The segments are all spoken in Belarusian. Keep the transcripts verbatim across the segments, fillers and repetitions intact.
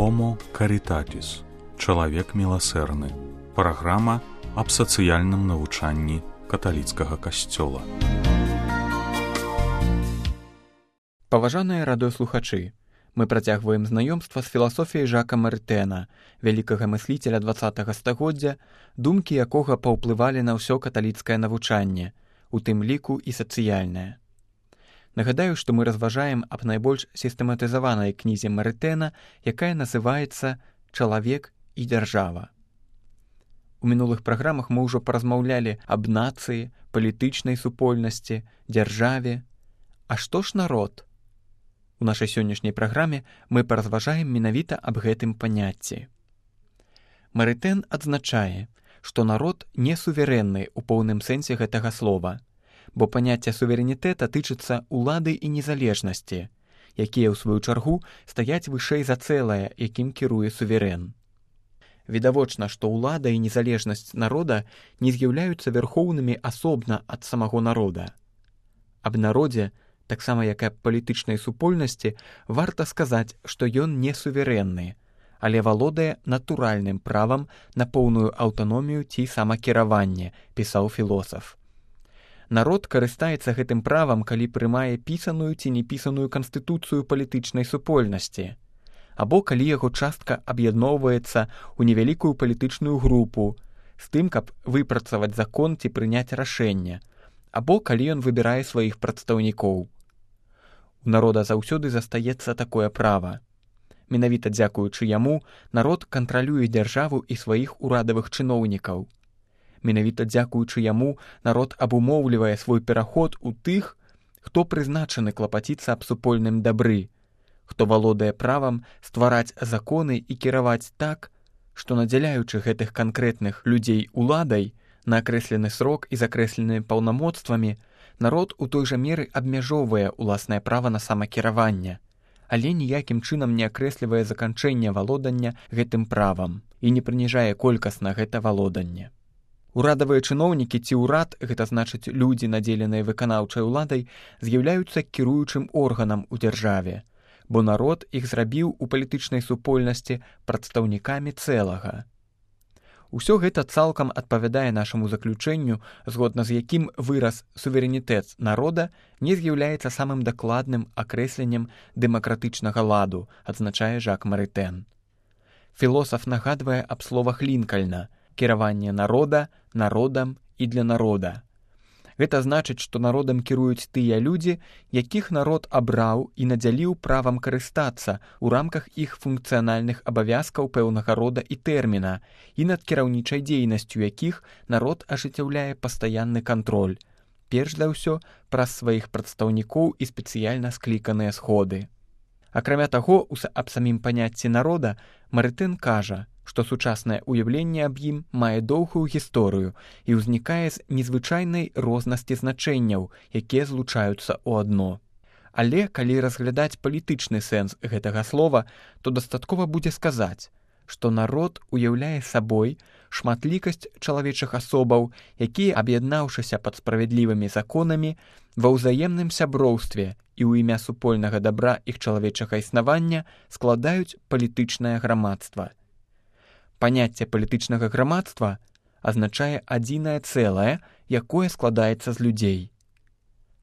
Homo Caritatis. Чалавек міласэрны. Праграма аб сацыяльным навучанні каталіцкага касцёла. Паважаныя радыёслухачы, мы працягваем знаёмства з філасофіяй Жака Марытэна, вялікага мысліцеля дваццатага стагоддзя, думкі якога паўплывалі на ўсё каталіцкае навучанне, у тым ліку і сацыяльнае. Нагадаю, што мы разважаем аб найбольш сістэматызаванай кнізе Марытэна, якая называецца «Чалавек і дзяржава». У мінулых праграмах мы ўжо паразмаўлялі аб нацыі, палітычнай супольнасці, дзяржаве. А што ж народ? У нашай сённяшняй праграме мы паразважаем менавіта аб гэтым паняцці. Марытэн адзначае, што народ не суверэнны ў поўным сэнсе гэтага слова, бо паняцце суверэнітэта тычыцца ўлады і незалежнасці, якія, ў сваю чаргу, стаяць вышэй за цэлае, якім кіруе суверэн. Відавочна, што ўлада і незалежнасць народа не з'яўляюцца вярхоўнымі асобна ад самого народа. Аб народзе, таксама як і аб палітычнай супольнасці, варта сказаць, што ён не суверэнны, але валодае натуральным правам на поўную аўтаномію ці самакіраванне, пісаў філосаф. Народ карыстаецца гэтым правам, калі прымае пісаную ці непісаную канстытуцыю палітычнай супольнасці, або калі яго частка аб'ядноўваецца ў невялікую палітычную групу з тым, каб выпрацаваць закон ці прыняць рашэнне, або калі ён выбірае сваіх прадстаўнікоў. У народа заўсёды застаецца такое права. Менавіта дзякуючы яму народ кантралюе дзяржаву і сваіх урадавых чыноўнікаў. Менавіта дзякуючы яму народ абумоўлівае свой пераход у тых, хто прызначаны клапаціцца аб супольным дабры, хто валодае правам ствараць законы і кіраваць так, што надзяляючы гэтых канкрэтных людзей уладай на акрэслены срок і закрэсленымі паўнамоцтвамі, народ у той жа меры абмяжоўвае ўласнае права на самакіраванне, але ніякім чынам не акрэслівае заканчэнне валодання гэтым правам і не прыніжае колькасна гэта валоданне. Урадавыя чыноўнікі ці ўрад, гэта значыць людзі, надзеленыя выканаўчай уладай, з'яўляюцца кіруючым органам у дзяржаве, бо народ іх зрабіў у палітычнай супольнасці прадстаўнікамі цэлага. Усё гэта цалкам адпавядае нашаму заключэнню, згодна з якім выраз суверэнітэт народа не з'яўляецца самым дакладным акрэсленнем дэмакратычнага ладу, адзначае Жак Марытэн. Філосаф нагадвае аб словах Лінкальна «кіраванне народа, народам і для народа». Гэта значыць, што народам кіруюць тыя людзі, якіх народ абраў і надзяліў правам карыстацца ў рамках іх функцыянальных абавязкаў пэўнага рода і тэрміна, і над кіраўнічай дзейнасцю якіх народ ажыццяўляе пастаянны кантроль, перш за ўсё праз сваіх прадстаўнікоў і спецыяльна скліканыя сходы. Акрамя таго, аб самім паняцці народа Марытэн кажа, што сучаснае ўяўленне аб ім мае доўгую гісторыю і ўзнікае з незвычайнай рознасці значэнняў, якія злучаюцца ў адно. Але калі разглядаць палітычны сэнс гэтага слова, то дастаткова будзе сказаць, што народ уяўляе сабой шматлікасць чалавечых асобаў, якія, аб'яднаўшыся пад справядлівымі законамі, ва ўзаемным сяброўстве і ў імя супольнага дабра іх чалавечага існавання складаюць палітычнае грамадства. Паняцце палітычнага грамадства азначае адзінае цэлае, якое складаецца з людзей.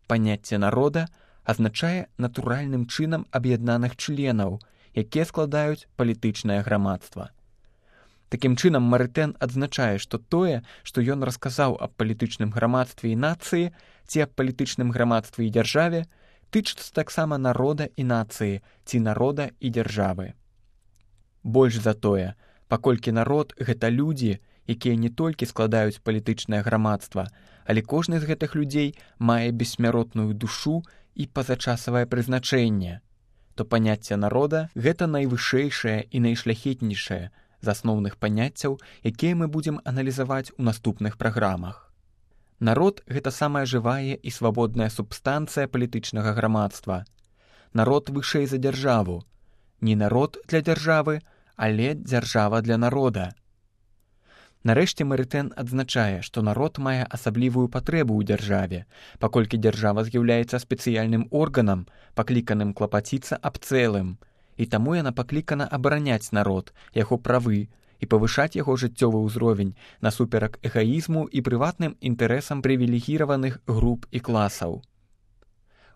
Паняцце народа азначае натуральным чынам аб'яднаных членаў, якія складаюць палітычнае грамадства. Такім чынам Марытэн адзначае, што тое, што ён расказаў аб палітычным грамадстве і нацыі ці аб палітычным грамадстве і дзяржаве, тычыцца таксама народа і нацыі ці народа і дзяржавы. Больш за тое, паколькі народ — гэта людзі, якія не толькі складаюць палітычнае грамадства, але кожны з гэтых людзей мае бессмяротную душу і пазачасавае прызначэнне, то паняцце народа — гэта найвышэйшае і найшляхетнейшае з асноўных паняццяў, якія мы будзем аналізаваць у наступных праграмах. Народ — гэта самая жывая і свабодная субстанцыя палітычнага грамадства. Народ вышэй за дзяржаву. Не народ для дзяржавы, але дзяржава для народа. Нарэшце Марытэн адзначае, што народ мае асаблівую патрэбу ў дзяржаве, паколькі дзяржава з'яўляецца спецыяльным органам, пакліканым клапаціцца аб цэлым, і таму яна паклікана абараняць народ, яго правы і павышаць яго жыццёвы ўзровень насуперак эгаізму і прыватным інтарэсам прывілегіраваных груп і класаў.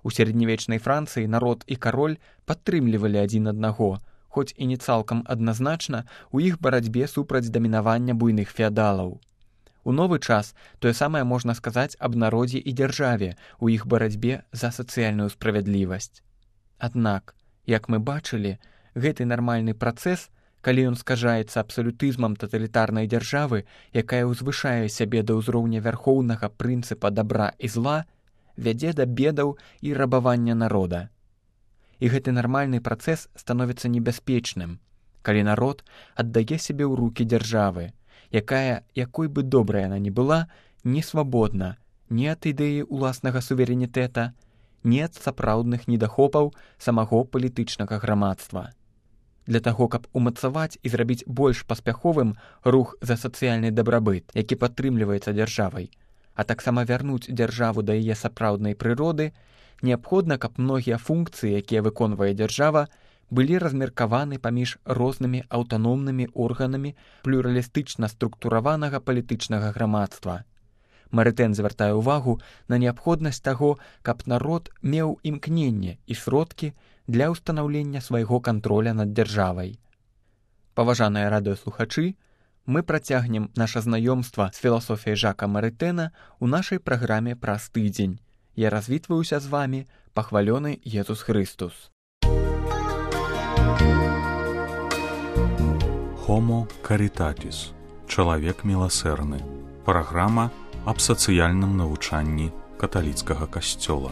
У сярэднявечнай Францыі народ і кароль падтрымлівалі адзін аднаго, хоць і не цалкам адназначна у іх барацьбе супраць дамінавання буйных феадалаў. У новы час тое самае можна сказаць аб народзе і дзяржаве у іх барацьбе за сацыяльную справядлівасць. Аднак, як мы бачылі, гэты нармальны працэс, калі ён скажаецца абсалютызмам таталітарнай дзяржавы, якая ўзвышае сябе да ўзроўня вярхоўнага прынцыпа дабра і зла, вядзе да бедаў і рабавання народа. І гэты нармальны працэс становіцца небяспечным, калі народ аддае сябе ў рукі дзяржавы, якая, якой бы добрая яна ні была, не свабодна ні ад ідэі ўласнага суверэнітэта, ні ад сапраўдных недахопаў самого палітычнага грамадства. Для таго, каб умацаваць і зрабіць больш паспяховым рух за сацыяльны дабрабыт, які падтрымліваецца дзяржавай, а таксама вярнуць дзяржаву да яе сапраўднай прыроды, неабходна, каб многія функцыі, якія выконвае дзяржава, былі размеркаваны паміж рознымі аўтаномнымі органамі плюралістычна структураванага палітычнага грамадства. Марытэн звяртае ўвагу на неабходнасць таго, каб народ меў імкненне і сродкі для ўстанаўлення свайго кантроля над дзяржавай. Паважаныя радыёслухачы, мы працягнем наша знаёмства з філасофіяй Жака Марытэна ў нашай праграме праз тыдзень. Я развітваюся з вамі, пахвалёны Езус Хрыстус. Homo Caritatis. Чалавек міласэрны. Праграма аб сацыяльным навучанні каталіцкага касцёла.